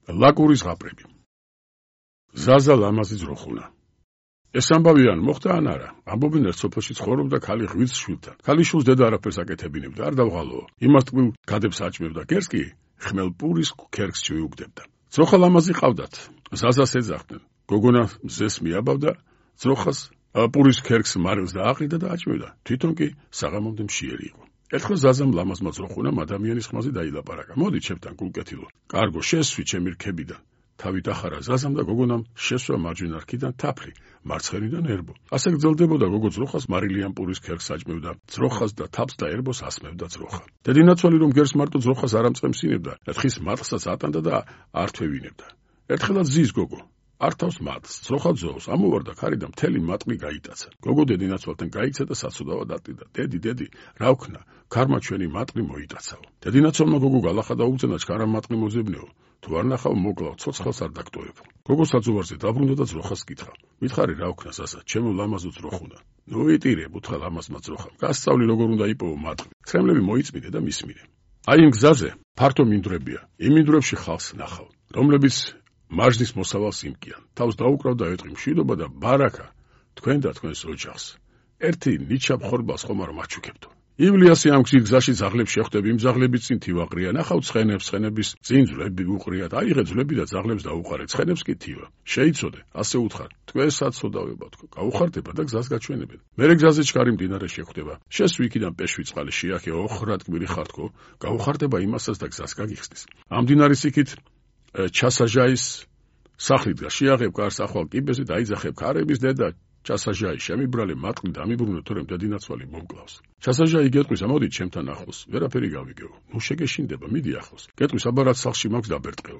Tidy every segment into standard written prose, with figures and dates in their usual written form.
ლაკურის ღაპრები. ზაზა ლამაზი ძროხუნა. ეს ამბავი ან მოხდა ან არა. ამბობენ ერთ სოფელში ცხოვრობდა ქალი ღვიძლ შვილთან. ქალიშვილს დედა არაფერს აკეთებინებდა, არ დავღალოო. იმას ტკბილ გადებს აჭმევდა, გერს კი ხმელ პურის ქერქს შეუგდებდა. ძროხა ლამაზი ყავდათ. ზაზას ეძახდნენ. გოგონა მზეს მიაბავდა, ძროხას პურის ქერქს მარილს დააყრიდა და აჭმევდა. თვითონ კი საღამომდე მშიერი იყო. ერთხელ ზაზამ ლამაზმა ძროხუნამ ადამიანის ხმაზე დაილაპარაკა. მოდი ჩემთან გულკეთილო. კარგო, შესვი ჩემი რქებიდან. თავით ახარა ზაზამ და გოგონამ შესვა მარჯვენა რქიდან თაფლი, მარცხენიდან ერბო. ასე გრძელდებოდა გოგო ძროხას მარილიან პურის ქერქს აჭმევდა, ძროხას და თაფს და ერბოს ასმევდა ძროხა. დედინაცვალი რომ გერს მარტო ძროხას არ ამწყემსინებდა, ერთხის მატყსაც ატანდა და არ თვევინებდა. ერთხელაც ზის გოგო არ თავს მატყს, ძროხა ძოვს, ამოვარდა ქარი და მთელი მატყი გაიტაცა. გოგო დედინაცვალთან გაიქცა და საცუდავად ატყიდა. დედი, რა ვქნა, ქარმა ჩვენი მატყი მოიტაცაო. დედინაცვალმა გოგო გალახა და უგზნა ჩქარა მატყი მოძებნეო. თუ არ ნახავ მოგლავ, ცოცხალს არ დაგტოვებ. გოგო საძოვარზე დაბრუნდა და ძროხას კითხა. მითხარი რა ვქნა სასა, ჩემო ლამაზო ძროხუნა. ნუ იტირებ, უთხრა ლამაზმა ძროხამ. გასწავლი როგორ უნდა იპოვო მატყი. ცხენლები მოიწმიდე და მისმინე. აი იმ გზაზე ფართო მინდვრებია. იმ მინდვრებში ხალხს ნახავ, რომლებიც მარჯნის მოსავალს იმკიან. თავს დაუკრავ და ეტყვი მშვიდობა და ბარაკა თქვენ და თქვენს ოჯახს. ერთი ნიჩაბ ხორბალს ხომ არ მაჩუქებდო. ივლიასი ამ გზის გზაში ძაღლებს შეხვდები, იმ ძაღლების წინ თივაყრია, ნახავ ცხენებს, ცხენების წინ ძვლები უყრიათ, აიღე ძვლები და ძაღლებს დაუყარე, ცხენებს კი თივა. შეიცოდე, ასე უთხარ, თქვენსაც ცოდავება თქო, გაუხარდება და გზას გაჩვენებენ. მერე გზაზე ჩქარი მდინარე შეხვდება. შესვი იქიდან პეშვი წყალი შეახე, ოხრად გმირი ხარ თქო, გაუხარდება იმასაც და გზას გაგიხსნის. ამ მდინარის იქით ჩასაჟაის სახლი დგას, შეაღებ კარს ახვალ კიბეზე და აიძახებ ქარების დედა ჩასაჟაი შემიბრალე მატყლი დამიბრუნე თორემ დედინაცვალი მომკლავს. ჩასაჟაი გეტყვის ამოდით ჩემთან ახლოს, ვერაფერი გავიგეო. ნუ შეგეშინდება, მიდი ახლოს. გეტყვის აბარად სახლში მაქვს დაბერტყეო.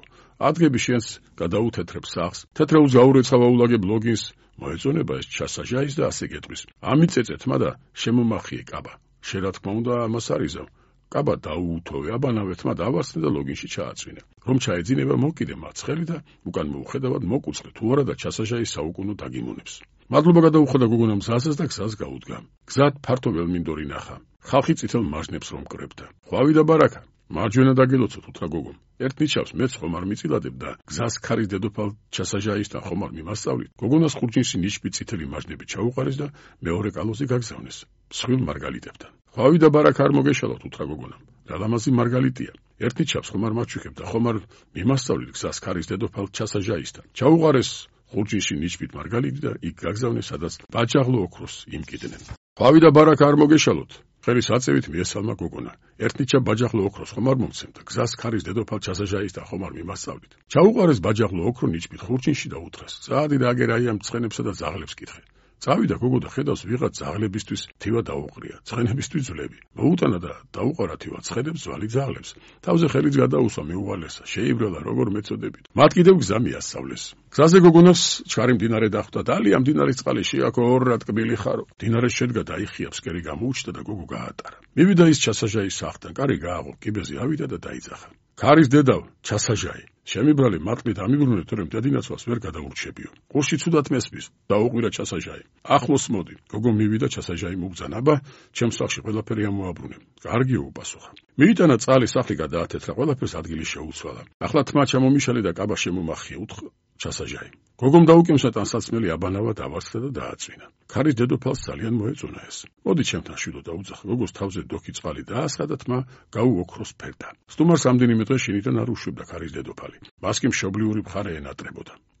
ადგები შენს გადაუთეთრებ სახლს, თეთრეულს გაურეცხავ აულაგებ ლოგინს, მოეწონება ეს ჩასაჟაის და ასე გეტყვის. ამიწეწე თმა და შემომახიე კაბა. შენ რა თქმა უნდა ამას არიზავ. კაბა დაუუთოვე, აბანავე თმა დავარსნე და ლოგინში ჩააწვინე. რომ ჩაეძინება მოკიდე მაცხელი და უკან მოუხედავად მოკუწყე თუ არა და ჩასაჟაის საუკუნო დაგიმონებს. მადლობა გადაუხადა გოგონამ ზაზას და გზას გაუდგა. გზად ფართო ველმინდორი ნახა. ხალხი წითელ მარჯნებს რომ კრებდა. ხვავი და ბარაკა. მარჯვენა დაგელოცოთ, უთხრა გოგომ. ერთ ნიჩავს მეც ხომ არ მიწილადებ და გზას ქარის დედოფალ ჩასაჟაისთან ხომ არ მიმასწავლით. გოგონას ხურჯინში ნიშბი წითელი მარჯნები ჩაუყარეს და მეორე კალოზე გაგზავნეს. მსხვილ მარგალიტებთან. ხვავი და ბარაკა არ მოგეშალოთ, უთხრა გოგონამ. რა ლამაზი მარგალიტია. ერთ ნიჩავს ხომ არ მაჩუქებ და ხომ არ მიმასწავლით გზას ქარის დედოფალ ჩასაჟაისთან. ჩაუყარეს ხურჯინში ნიშბით მარგალიტი და იქ გაგზავნეს, სადაც ბაჯაღლო ოქროს იმკიდნენ. ხვავი და ბარაკა არ მოგეშალოთ. ხელის აწევით მიესალმა გოგონა. ერთნიჩა ბაჯაღლო ოქროს ხომ არ მომცემდა. გზას ქარის დედოფალ ჩასაჟაისთან ხომ არ მიმასწავლით. ჩაუყარეს ბაჯაღლო ოქრო ნიშბით ხურჯინში და უთხრეს. წადი და აგერ აი ამ ცხენებსა და ძაღლებს კითხე. წავიდა გოგო და ხედავს ვიღაც ძაღლებისთვის თივა დაუყრია, ცხენებისთვის ძვლები. მოუტანა და დაუყარა თივა ცხენებს, ძვალი ძაღლებს. თავზე ხელიც გადაუსვა, მეუვალესა, შეიბრალა როგორ მეწოდებით. მათ კიდევ გზა მიასწავლეს. გზაზე გოგონას ჩქარი მდინარე დახვდა და ალია მდინარის წყალი შეაქო ორად კბილი ხარო. მდინარე შედგა დაიხია, ფსკერი გამოუჩნდა და გოგო გაატარა. მივიდა ის ჩასაჟაის სახლთან, კარი გააღო, კიბეზე ავიდა და დაიძახა. ქარის დედავ, ჩასაჟაი. შემიბრალე მატყლი დამიბრუნე, თორემ დედინაცვალს ვერ გადაურჩებიო. ყურში ცუდად მესმის, დაუყვირა ჩასაჟაი. ახლოს მოდი. გოგო მივიდა, ჩასაჟაი მოგძანა, აბა, ჩემს სახლში ყველაფერი ამოაბრუნე. კარგიო, უპასუხა. მიიტანა წალი, სახლი გადაათეთრა, ყველაფერს ადგილი შეუცვალა. ახლა თმა ჩამომიშალე და კაბა შემომახია, უთხრა ჩასაჟაი. გოგომ დაუკემსა ტანსაცმელი აბანავა დავარცხდა და დააწვინა. ქარის დედოფალს ძალიან მოეწონა ეს. მოდი ჩემთან შვიდო დაუძახა. გოგოს თავზე დოქი წყალი დაასხა და თმა გაუოქროს ფერდა. სტუმარს ამდენიმე დღე შინიდან არ უშვებდა ქარის დედოფალი. მას კი მშობლიური მხარე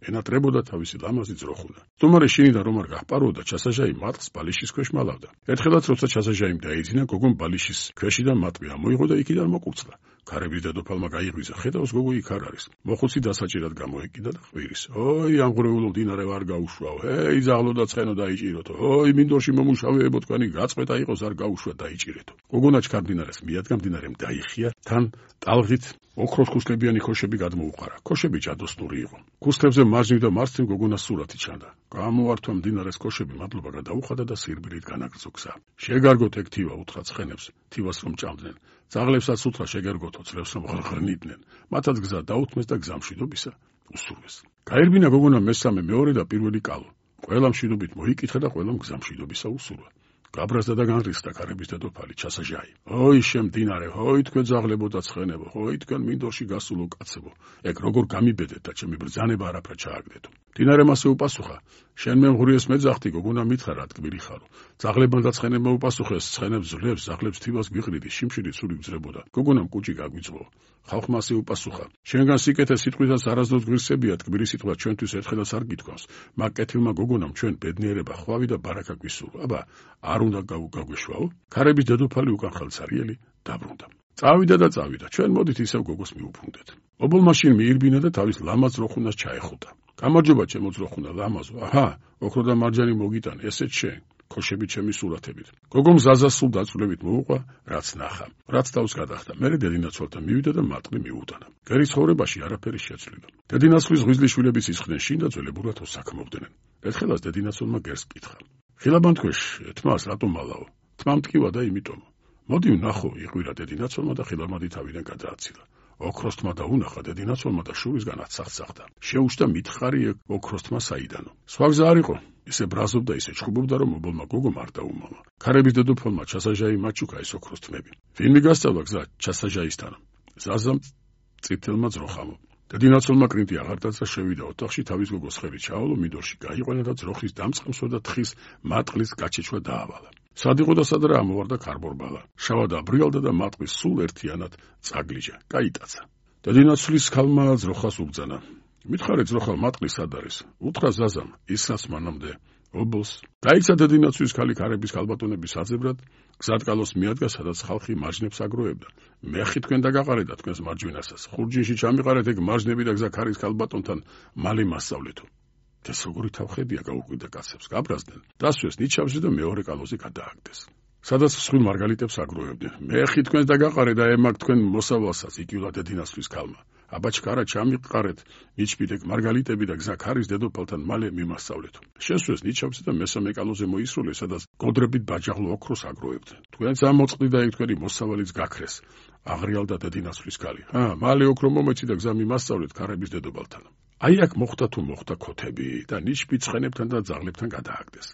ენატრებოდა თავისი ლამაზი ძროხუნა. სტუმარი შინიდან რომ არ გაჰპაროდა, ჩასაჟაი მატყლს ბალიშის ქვეშ მალავდა. ერთხელაც როცა ჩასაჟაიმ დაიძინა, გოგომ ბალიშის ქვეშიდან მატყლი ამოიღო და იქიდან მოკურწყდა. ქარების დედოფალმა გაიღვიძა, ხედავს გოგო იქ არ არის. მოხუცი დასაჭირად გამოეკიდა და ყვირის. ოი, ამ ღრეულო მდინარე ვარ გაუშვაო. ეი, ძაღლო და ცხენო დაიჭიროთო. ოი, მინდორში მომუშავეებო, თქვენი გაწყვეტა იყოს, არ გაუშვა დაიჭირეთო. გოგონა ჩქარ მდინარეს მიადგა, მდინარემ დაიხია, თან ტალღით ოქროს ქუსლებიანი ქოშები გადმოუყარა. ქოშები ჯადოსნური იყო. ქუსლებზე მარჯვნივ და მარცხნივ გოგონას სურათი ჩანდა. გამოართვა მდინარეს ქოშები, მადლობა გადაუხადა და სირბილით განაგრძო გზა. შეგარგოთ ეგ თივა, უთხრა ცხენებს, თივას რომ ჭამდნენ. ძაღლებსაც უთხრა შეგარგოთო, ძლებს რომ ხრნიდნენ. მათაც გზა დაუთმეს და გზამშვიდობისა უსურვეს. გაერბინა გოგონა მესამე, მეორე და პირველი კალო. ყველა მშვიდობით მოიკითხა და ყველამ გზამშვიდობისა უსურვა. გაბრაზდა და განრისხდა ქარების დედოფალი ჩასაჟაი. ოი შემდინარე, ოი თქვენ ძაღლებო და ცხენებო, ოი თქვენ მინდორში გასულო კაცებო, ეგ როგორ გამიბედეთ და ჩემი ბრძანება არაფრად ჩააგდეთო. მდინარე მასე უპასუხა, შენ მე მღვრიეს მეძახთი, გოგონა მითხრა რა თქმილი ხარო. ძაღლებმა და ცხენებმა უპასუხეს, ცხენებს ძლებს, ძაღლებს თივას გვიყრიდი, შიმშილი ცური გძრებოდა. გოგონამ კუჭი გაგვიძღო. ხალხმა ასე უპასუხა, შენგან სიკეთე სიტყვისას არასდროს გვირსებია, თქმილი სიტყვა ჩვენთვის ერთხელაც არ გითქვამს, მაგ კეთილმა გოგონამ ჩვენ ბედნიერება, ხვავი და ბარაკა გვისურვა. აბა, არ უნდა გაგვეშვაო? ქარების დედოფალი უკან ხელცარიელი დაბრუნდა. წავიდა და წავიდა, ჩვენ მოდით ისევ გოგოს მიუბრუნდეთ. ობოლ მაშინ მიირბინა და თავის ლამაზ ძროხუნას ჩაეხუტა. გამარჯობა ჩემო ძროხუნა ლამაზო, აჰა, ოქრო და მარჯანი მოგიტან, ესეც შენ. ქოშები ჩემი სურათებით. გოგომ ზაზას სულ დაწვრილებით მოუყვა, რაც ნახა. რაც თავს გადახდა. მერე დედინაცვალთან მივიდა და მატყლი მიუტანა. გერის ცხოვრებაში არაფერი შეცვლილა. დედინაცვლის ღვიძლიშვილების ისხდნენ შინ და ძველებურად უსაქმობდნენ. ერთხელაც დედინაცვალმა გერს კითხა. ხილაბანთქვეშ, თმას რატომ მალაო? თმა მტკივა და იმიტომ. მოდი ვნახო, იყვირა დედინაცვალმა და ხილამადი თავიდან გადააცილა. ოქროსთმა და უნახა დედინაცვალმა და შურისგან აცახცახდა. შეუშდა მითხარი ოქროსთმა საიდანო. სხვა გზა არ იყო. ისე ბრაზობდა, ისე ჩხუბობდა, რომ ობოლმა გოგომ არ დაუმალა. ქარების დედოფალმა ჩასაჟაი მაჩუკა ეს ოქროსთმები. ვინმე გასწავლა გზა ჩასაჟაისთან? ზაზამ წითელმა ძროხამო. დედინაცვალმა კრინტი აღარ დაძრა, შევიდა ოთახში, თავის გოგოს ხელი ჩაავლო, მინდორში გაიყვანა და ძროხის დამწყემსო და თხის მატყლის გაჩეჩვა დაავალა. სად იყო და სად რა ამოვარდა ქარბორბალა. შავა დაბრიალდა და მატყლის სულ ერთიანად წაგლიჯა. გაიტაცა. დედინაცვლის ქალმა ძროხას უბძანა. მითხარე ძროხალ მატყლი სად არის? უთხრა ზაზამ, ისრას მანამდე ობოლს. გაიცა დედინაცვის ქალი ქარების ქალბატონების საძებრად, გზატკალოს მიადგა, სადაც ხალხი მარჯნებს აგროებდა. მეხი თქვენ დაგაყარეთ თქვენს მარჯვენასას. ხურჯინში ჩამიყარეთ ეგ მარჯნები და გზა ქარის ქალბატონთან მალე მასწავლეთო. ეს როგორი თავხედია გაუკვირდა კაცებს, გაბრაზდნენ. დასვეს ნიჩაბზე და მეორე კალოზე გადააგდეს. სადაც მსხვილ მარგალიტებს აგროებდნენ. მეხი თქვენ დაგაყარე და ემაგ თქვენ მოსავალსაც, იკიულა დედინაცვის ქალმა. აბაჩკარა ჩამიყარეთ ნიჩბიდეკ მარგალიტები და გზა ქარის დედოფალთან მალე მიმასწავლეთო. შესვეს ნიჩაბზე და მესამე კალოზე მოისროლეს, სადაც გოდრებით ბაჯაღლო ოქროს აგროებდნენ. თქვენც ამოწყდი და იქ თქვენი მოსავალიც გაქრეს. აღრიალდა დედინაცვის ქალი. მალე ოქრო მომეცი და გზა მიმასწავლეთ ქარების დედოფალთან. აი აქ მოხდა თუ მოხდა ქოთები და ნიჩბი ცხენებთან და ძაღლებთან გადააგდეს.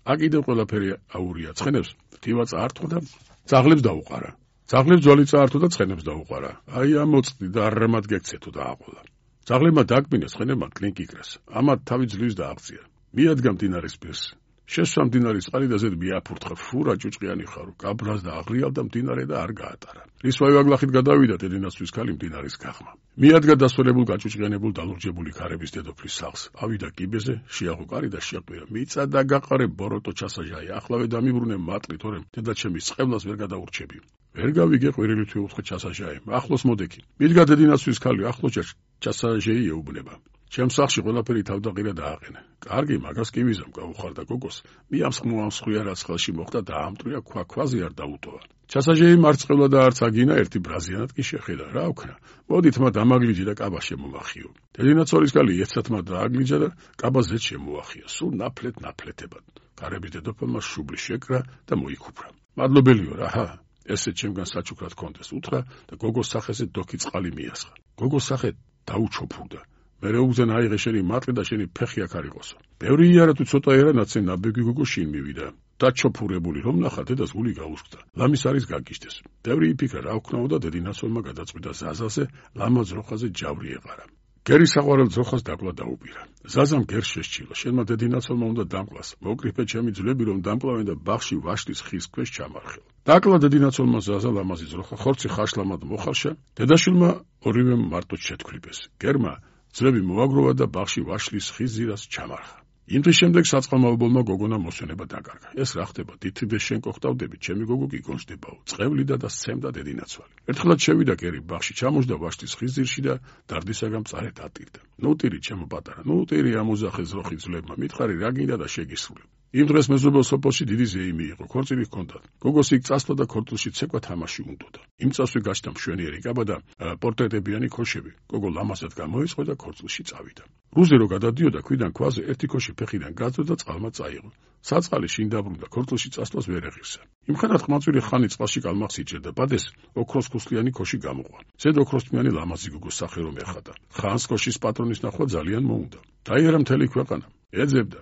აქ კიდევ ყველაფერი აურია. ცხენებს თივა წაართვა და ძაღლებს დაუყარა. ძაღლებს ძვალი წაართვა და ცხენებს დაუყარა. აი ამოწყდი და არამად გექცეთო და აყოლა. ძაღლებმა დაგბინეს, ცხენებმა კლინკ იკრეს. ამათ თავი ძლივს და აღწია. მიადგა მდინარის პირს. შესვა მდინარის წყალი და ზედ მიაფურთხა. ფურა ჭუჭყიანი ხარო. გაბრაზდა, აღრიალდა მდინარე და არ გაატარა. რის ვაივაგლახით გადავიდა დედინაცვის ქალი მდინარის გაღმა. მიადგა დასვენებულ გაჭუჭყიანებულ დალურჯებული ქარების დედოფლის სახლს. ავიდა კიბეზე, შეაღო კარი და შეაყვირა. მიწა და გაყარე ბოროტო ჩასაჟაი. ახლავე დამიბრუნე მატყლი, თორემ დედაჩემის წყევლას ვერ გადაურჩები. ვერ გავიგე ყვირილით ვეუთხე ჩასაჟაი. ახლოს მოდექი. მიდგა დედინაცვის ქალი, ახლოს ჩასაჟაი ეუბნება. ჩემ სახლში ყველაფერი თავდაყირა დააყენე. კარგი, მაგას კი ვიზამ, გაუხარდა გოგოს. მიამსხმოამსხვია რაც ხელში მოხდა და ამტრია ქვაზე არ დაუტოვა. ჩასაჟეი მარწყევლა და არც აგინა ერთი ბრაზიანად კი შეხედა. რა ვქნა? მოდით მათ ამაგლიჯი და კაბა შემომახიო. დედინაცვალის ქალი ერთსათმა დააგლიჯა და კაბა ზედ შემოახია. სულ ნაფლეთებად. ქარების დედოფალმა შუბლი შეკრა და მოიქუფრა. მადლობელიო რა, ესე ჩემგან საჩუქრად კონდეს უთხრა და გოგოს სახეზე დოქი წყალი მიასხა. გოგოს სახე დაუჩოფურდა. მერე უგზენ აიღე შენი მატყლი და შენი ფეხი აქ არ იყოსო. ბევრი იერა თუ ცოტა ერანაცე ნაბეგი გოგო შინ მივიდა. დაჩოფურებული რომ ნახა დედას გული გაუსკდა. ლამის არის გაგიჟდეს. ბევრი იფიქრა რა ვქნაო და დედინაცვალმა გადაწყვიტა ზაზაზე ლამაზ როხაზე ჯავრი ეყარა. გერის საყვარელ ძროხას დაკლა დაუპირა. ზაზამ გერს შესჩილა. შენმა დედინაცვალმა უნდა დამკლას. მოკრიფე ჩემი ძვლები რომ დამკლავენ და ბაღში ვაშლის ხის ქვეშ ჩამარხილ. დაკლა დედინაცვალმა ზაზა ლამაზი ძროხა ხორცი ხაშლამად მოხარშა. დედაშვილმა ორივე მარტო შეთქვლიბეს. გერმა ძვლები მოაგროვა და ბაღში ვაშლის ხის ზირას ჩამარხა. იმ დღის შემდეგ საწყალმა ობოლმა გოგონა მოსვენება დაკარგა. ეს რა ხდება? დითიდე შენ გოხტავდები, ჩემი გოგო კი გონჯდებაო. წყევლიდა და სცემდა დედინაცვალი. ერთხელაც შევიდა კერი ბაღში, ჩამოждდა ვაშლის ხის ზირში და დარდისაგან მწარედ ატირდა. ნუ ტირი ჩემო პატარა, ნუ ტირი ამუზახე ძროხი ძვლებმა, მითხარი რა გინდა და შეგისრულე. იმ დღეს მეზობელ სოფელში დიდი ზეიმი იყო, ქორწილი ჰქონდათ. გოგოს იქ წასვლა და ქორწილში ცეკვა თამაში უნდოდა. იმ წასვე გაჩნდა მშვენიერი კაბა და პორტრეტებიანი ქოშები. გოგო ლამაზად გამოეწყო და ქორწილში წავიდა. რუზე რო გადადიოდა, ქვიდან ქვაზე ერთი ქოში ფეხიდან გაძო და წყალმა წაიღო. საწყალი შინ დაბრუნდა, ქორწილში წასვლას ვერ ეღირსა. იმხანად ხმაწვილი ხანი წყალში კალმახს იჭერდა, ბადეს ოქროს ქუსლიანი ქოში გამოყვა. ზედ ოქროსთმიანი ლამაზი გოგოს სახე რომ ეხადა. ხანს ქოშის პატრონის ნახვა ძალიან მოუნდა. დაიარა მთელი ქვეყანა. ეძებდა.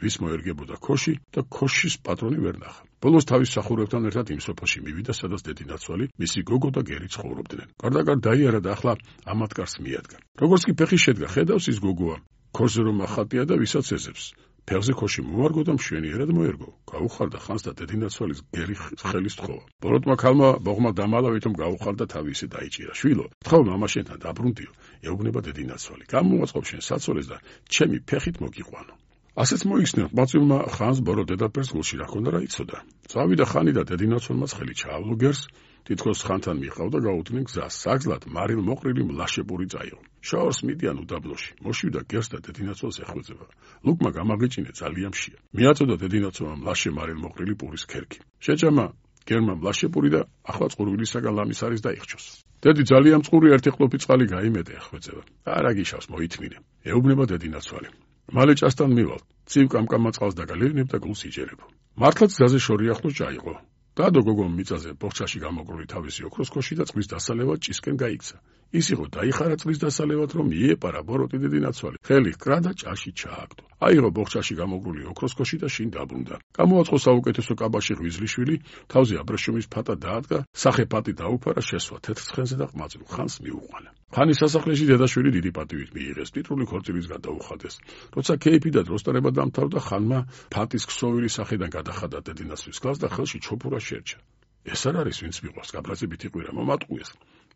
ვის მოერგებოდა ქოში და ქოშის პატრონი ვერ ნახა. ბოლოს თავის მსახურებთან ერთად იმ სოფელში მივიდა, სადაც დედინაცვალი, მისი გოგო და გერი ცხოვრობდნენ. გარდაგარ დაიარა და ახლა ამათკარს მიადგა. როგორც კი ფეხი შედგა, ხედავს ის გოგოა, ქოშზე რომ ახატია და ვისაც ეძებს. ფეხზე ქოში მოარგო და მშვენიერად მოერგო. გაუხარდა ხანს და დედინაცვალის გერი ხელის თხოვა. ბოროტმა ქალმა ბოღმა დამალა, ვითომ გაუხარდა თავი ისე დაიჭირა. შვილო, თხოვ მამაშენთან დაბრუნდიო, ეუბნება დედინაცვალი. გამოაწყობ შენ საცოლეს და ჩემი ფეხით მოგიყვანო. ასეც მოიხსნა ყმაწვილმა ხანს ბორო დედაფერს გულში რა ქონდა რა იცოდა. წავიდა ხანი და დედინაცვალმა ხელი ჩაავლო გერს, თითქოს ხანთან მიყავდა გაუდგნენ გზას. საგზლად მარილ მოყრილი მლაშებური წაიღო. შაორს მიდიან უდაბნოში. მოშვიდა გერს და დედინაცვალს ეხვეწება. ლუკმა გამაგიჭინე ძალიან მშია. მიაწოდა დედინაცვალმა მლაშე მარილ მოყრილი პურის ქერქი. შეჭამა გერმა მლაშებური და ახლა წყურვილისაგან ლამის არის დაიხჩოს. დედი ძალიან წყური ერთი ყლופი წყალი გაიმეტე ეხვეწება. არა გიშავს მოითმინე. ეუბნება დედინაცვალი. მალე ჭასთან მივალ. ცივ კამკამა წყალს დაგალერნებ და გულს იჯერებო. მართლაც გზაზე შორი ახლოს ჩაიღო. დადო გოგომ მიწაზე ბოხჩაში გამოგრული თავისი ოქროს ქოში და წყლის დასალევად ჭისკენ გაიქცა. ის იყო დაიხარა წყლის დასალევად, რომ მიეპარა ბოროტი დედინაცვალი. ხელი ჰკრა და ჭაში ჩააგდო. აიღო ბოხჩაში გამოგრული ოქროს ქოში და შინ დაბრუნდა. გამოაწყო საუკეთესო კაბაში ღვიძლიშვილი, თავზე აბრეშუმის ფატა დაადგა, სახე ფატი დაუფარა, შესვა თეთრ ცხენზე და ყმაწვილ ხანს მიუყვანა. ხანის სასახლეში დედაშვილი დიდი პატივით მიიღეს, ტიტული ქორწილისგან დაუხადეს. როცა ქეიფი და დროსტარება დამთავრდა, ხანმა ფატის ქსოვილი სახიდან გადახადა დედინაცვლის კლას და ხელში ჩოფურა შერჩა. ეს არ არის ვინც მიყვარს, გაბრაზებით იყვირა, მომატყუეს.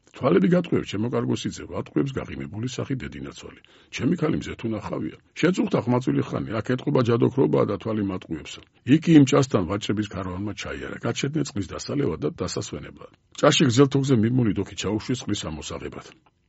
თვალები გატყვევ, ჩემო კარგო სიძე, ვატყვევს გაღიმებული სახი დედინაცვალი. ჩემი ქალი მზე თუ ნახავია. შეწუხდა ყმაწვილი ხანი, აქ ეთყობა ჯადოქრობაა და თვალი მატყუებსო. იქი იმ ჭასთან ვაჭრების ქარავანმა ჩაიარა, გაჩერდნენ წყლის დასალევად და დასასვენებლად. ჭაში გრძელთოგზე მიბმული დოქი ჩაუშვეს წყლის ამოსაღებად.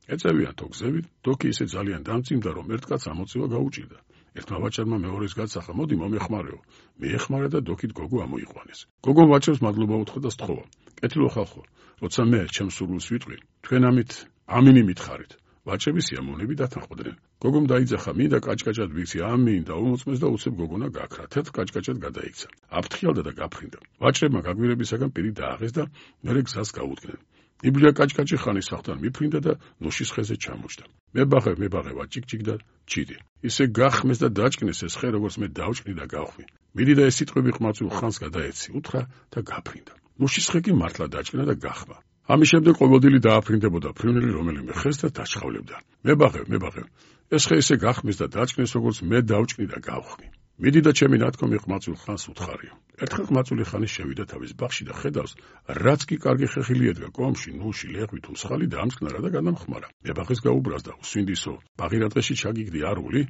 ეწევიან თოგზევით, დოქი ისე ძალიან დამწიმდა, რომ ერთ კაცს ამოწევა გაუჭირდა. ერთმა ვაჭარმა მეორეს გაცახა, მოდი მომეხმარეო. მიეხმარა და დოქით გოგო ამოიყვანეს. გოგომ ვაჭრებს მადლობა უთხრა და სთხოვა. კეთილო ხალხო, როცა მე ჩემს სურვილს ვიტყვი, თქვენ ამით ამინი მითხარით. ვაჭრები სიამოვნები დათანხმდნენ. გოგომ დაიძახა, მინდა კაჭკაჭად ვიცი, ამინ და უმოწმეს და უცებ გოგონა გაქრა. თეთრ კაჭკაჭად გადაიქცა. აფრთხილდა და გაფრინდა. ვაჭრებმა გაგვირებისაგან პირი დააღეს და მერე გზას გაუდგნენ. იბლია კაჭკაჭი ხანის სახთან მიფრინდა და ნოშის ხეზე ჩამოჭდა. მებაღე ვაჭიკჭიკ და ჩიდი. ისე გახმეს და დაჭკნეს ეს ხე, როგორც მე დავჭკნი და გავხვი. მიდი და ეს სიტყვები ყმაწვილ ხანს გადაეცი, უთხრა და გაფრინდა. ნოშის ხე კი მართლა დაჭკნა და გახმა. ამის შემდეგ ყოველდილი დააფრინდებოდა ფრინველი რომელიმე ხეს და დაჩხავლებდა. მებაღე, ეს ხე ისე გახმეს და დაჭკნეს, როგორც მე დავჭკნი და გავხვი. მიდი და ჩემი ნათქვამი ყმაწვილ ხანს უთხარიო. ერთხელ ყმაწვილი ხანი შევიდა თავის ბაღში და ხედავს, რაც კი კარგი ხეხილი ედგა კომში, ნუში, ლეღვი თუ მსხალი დაამწყნარა და გადამხმარა. მებაღეს გაუბრაზდა, უსვინდისო, ბაღი რა დღეში ჩაგიგდი არული?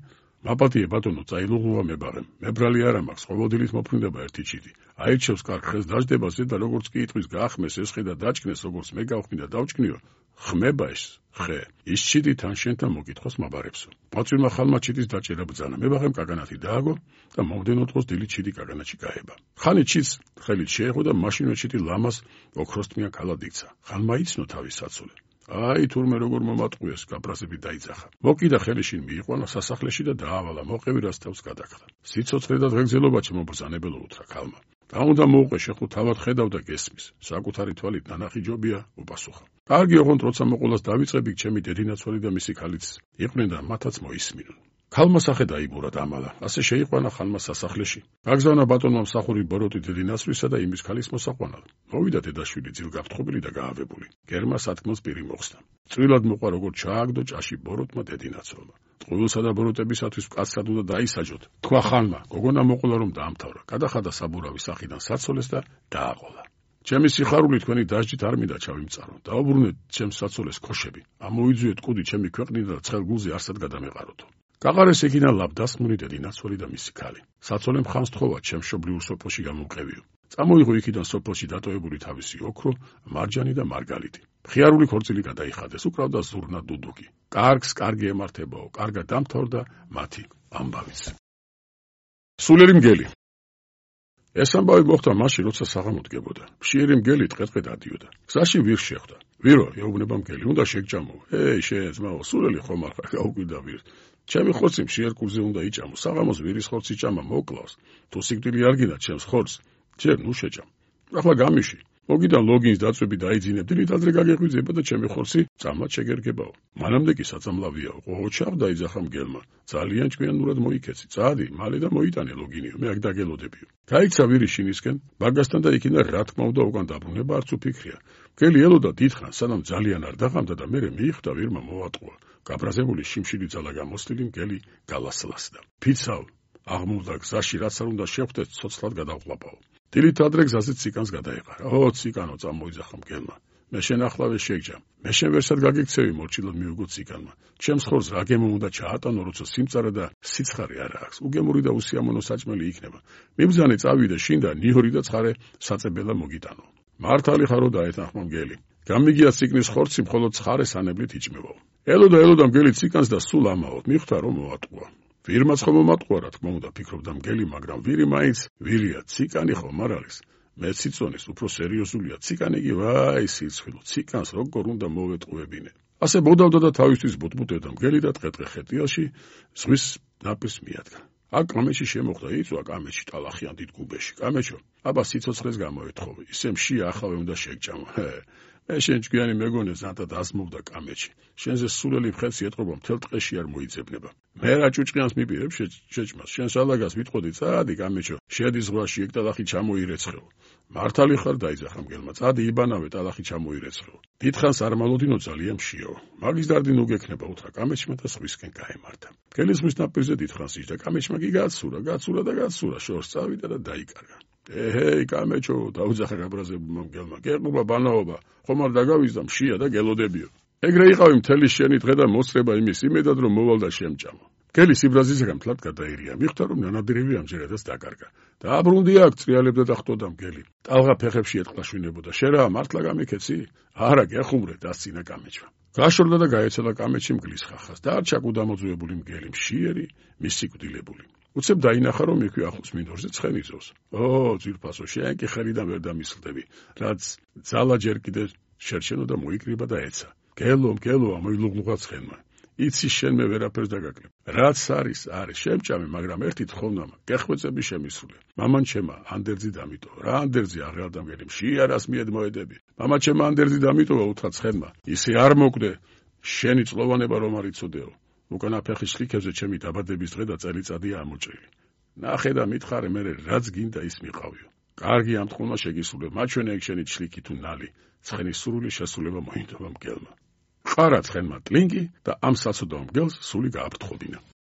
მაპატიე ბატონო, წაილუღლუა მებაღემ. მებრალი არა მაქვს, ყოველდილით მოფრინდება ერთი ჩიტი. აირჩევს კარგ ხეს დაждებაზე და როგორც კი იტყვის გაახმეს ეს ხე და დაჭკნეს, როგორც მე გავხმი და დავჭკნიო, ხმება ეს ხე. ის ჩიტი თან შენთან მოგითხოს მაბარებსო. ყმაწვილმა ხალმა ჩიტის დაჭერა ბრძანა. მებაღემ კაგანათი დააგო და მომდენო დღოს დილით ჩიტი კაგანათში გაება. ხანი ჩიტს ხელით შეეხო და მაშინვე ჩიტი ლამას ოქროსთმიან ქალად იქცა. ხალმა იცნო თავის საცოლე. აი თურმე როგორ მომატყუეს, გაბრაზები დაიძახა. მოკიდა ხელი შინ მიიყვანა სასახლეში და დაავალა, მოყევი რას თავს გადაკრა. სიცოცხლე და დღეგრძელობა ჩემო ბრძანებელო უთხრა ქალმა. და უნდა მოუყე შეხო თავად ხედავ და გესმის. საკუთარი თვალით ნანახი ჯობია, უპასუხა. კარგი ოღონდ როცა მოყოლას დავიწყები, ჩემი დედინაცვალი და მისი ქალიც იყვნენ და მათაც მოისმინონ. ქალმა სახე დაიბურა დამალა. ასე შეიყვანა ხანმა სასახლეში. გაგზავნა ბატონმა მსახური ბოროტი დედინაცვლისა და იმის ქალის მოსაყვანად. მოვიდა დედაშვილი ძილგაფრთხობილი და გაავებული. გერმა სათქმელს პირი მოხსნა. წვრილად მოყვა როგორ ჩააგდო ჭაში ბოროტმა დედინაცვალმა. წყვილსა და ბოროტებისათვის მკაცრად უნდა დაისაჯოთ. თქვა ხანმა, გოგონა მოყოლა რომ დაამთავრა. გადახადა საბურავი სახიდან საცოლეს და დააყოლა. ჩემი სიხარული თქვენი დასჯით არ მინდა ჩავიმწარო. დაუბრუნეთ ჩემს საცოლეს ქოშები. ამოიძუეთ კუდი ჩემი ქვეყნიდან და ცხელ გულზე არსად გადამეყაროთო. გაღარეს ეგინა ლაბდასმული დედინაცვალი და მისი ქალი. საცოლემ ხანს თხოვა ჩემ მშობლიურ სოფელში გამომყევიო. წამოიღო იქიდან სოფელში დატოვებული თავისი ოქრო, მარჯანი და მარგალიტი. მხიარული ქორწილი გადაიხადეს, უკრავდა ზურნა დუდუკი. კარგს კარგი ემართებაო, კარგად დამთავრდა მათი ამბავიც. სულელი მგელი. ეს ამბავი მოხდა მაშინ, როცა საღამო დგებოდა. მშიერი მგელი ტყე-ტყე დადიოდა. გზაში ვირს შეხვდა. ვირო, ეუბნება მგელი, უნდა შეგჭამო. შენ ძმაო, სულელი ხომ არ ხარ, გაუკვირდა ვირს. ჩემი ხორცი მშიერ კუზზე უნდა იჭამო. საღამოს ვირის ხორცი ჭამა მოკლავს. თუ სიკვდილი არ გინდა ჩემს ხორცს, ჯერ ნუ შეჭამ. ახლა გამიში. მოგიდან ლოგინს დაწვები დაიძინებ, დილით ადრე გაგეღვიძება და ჩემი ხორცი წამლად შეგერგებაო. მანამდე კი საწამლავიაო, ყოჩავ დაიძახა მგელმა. ძალიან ჭკვიანურად მოიქეცი. წადი, მალე და მოიტანე ლოგინიო, მე აქ დაგელოდებიო. გაიქცა ვირი შინისკენ, ბაგასთან და იქიდან რა თქმა უნდა უკან დაბრუნება არც უფიქრია. მგელი ელოდა დიდხანს, სანამ ძალიან არ დაღამდა და მერე მიხვდა ვირმა მოვატყუა. გაბრაზებული შიმშილი ძალა გამოსლილი მგელი გალასლასდა. ფიცავ აღმულდა გზაში, რაც არ უნდა შეხვდეთ, ცოცხლად გადავყლაპაო. დილით ადრე გზაზე ციკანს გადაეყარა. ო ციკანო, წამოიძახა მგელმა. მე შენ ახლავე შეგჯა. მე შენ ვერსად გაგიქცევი, მორჩილად მიუგო ციკანმა. ჩემს ხორს რა გემო უნდა ჩაატანო, როცა სიმწარე და სიცხარე არ აქვს. უგემური და უსიამოვნო საჭმელი იქნება. მიბრძანე წავიდე შინ და ნიჰორი და ცხარე საწებელა მოგიტანო. მართალი ხარო დაეთანხმა მგელი. გამიგია ციკნის ხორცი მხოლოდ ცხარე სანებლით იჭმევაო. ელოდა მგელი ციკანს და სულ ამაო, მიხვდა რომ მოატყუა. ვირმაც ხომ მომატყუა, რა თქმა უნდა, ფიქრობდა მგელი, მაგრამ ვირი მაინც ვირია, ციკანი ხომ არ არის. მე ციცონის უფრო სერიოზულია, ციკანი კი ვაი სიცხვილო, ციკანს როგორ უნდა მოვეტყუებინე. ასე ბოდავდა და თავისთვის ბუტბუტებდა მგელი და ტყე-ტყე ხეტიალში ზღვის ნაპირს მიადგა. აქ კამეჩი შემოხვდა, იწვა კამეჩი ტალახიან დიდ გუბეში. კამეჩო, აბა სიცოცხლეს გამოეთხოვე, ისე მშია ახავე უნდა შეგჭამო. მე შენ ჭკვიანი მეგონე ზანტა დასმოვდა კამეჩი. შენზე სულელი მხეცი ეტყობა მთელ ტყეში არ მოიძებნება. მე რა ჭუჭყიანს მიპირებ შეჭმას. შენ სალაგას ვიტყოდი, წადი კამეჩო, შედი ზღვაში ეგ ტალახი ჩამოირეცხეო. მართალი ხარ დაიძახა მგელმა, წადი იბანავე ტალახი ჩამოირეცხეო. დიდხანს არ მალოდინო ძალიან მშიაო. მაგის დარდი ნუ გექნება უთხრა კამეჩმა და სხვისკენ გაემართა. მგელი ზღვის ნაპირზე დიდხანს იჯდა, კამეჩმა კი გაცურა, შორს წავიდა და დაიკარგა. ეჰეი კამეჩო, დაუძახა გაბრაზებულმა მგელმა, გეყობა ბანაობა, ხომ არ დაგავიზდა მშია და გელოდებიო. ეგრე იყავი მთელი შენი დღე და მოსწრება იმის იმედად რომ მოვალ და შემჭამო. მგელი სიბრაზისგან მთლად გადაერია, მიხვდა რომ ნანადირევი ამჯერადაც დაკარგა. დააბრუნდი აქ, წრიალებდა და ხტოდა მგელი. ტალღა ფეხებში ეტყლა შვინებოდა. შენ რა მართლა გამიქეცი? არა, გეხუმრე, დასცინა კამეჩმა. გაშორდა და გაეცელა კამეჩი მგლის ხახას. დაარჩა კუდამოძუებული მგელი, მშიერი, მისიკვდილებული. უცებ დაინახა რომ იქვე ახლოს მინდორზე ცხენი ძოვს. ო, ძვირფასო, შენ კი ხელიდან ვერ დამისხდები, რაც ძალა ჯერ კიდე შერჩენო და მოიკრიბა და ეცა. გელო, ამოილუღლუღა ცხენმა. იცი შენ მე ვერაფერს დაგაკლებ. რაც არის, შემჭამე, მაგრამ ერთი თხოვნამა, გეხვეწები შემისრულე. მამან ჩემა, ანდერძი დამიტო. რა ანდერძი აღარ დამგერი, მშიარას მიედ მოედები. მამა ჩემა ანდერძი დამიტოვა უთხრა ცხენმა. ისე არ მოკვდე, შენი წლოვანება რომ არ იცოდეო. უკანა ფეხის შლიქებზე ჩემი დაბადების დღე და წელიწადია ამოჭრილი. ნახე და მითხარე, მე რაც გინდა ის მიყავიო. კარგი ამ თხოვნა შეგისრულებ, მაჩვენე ეგ შენი ჩლიქი თუ ნალი. ცხენის სრული შესრულება მოინდობა მგელმა. ყარა ცხენმა ტლინგი და ამ საცოდავ მგელს სული გააფრთხოდინა.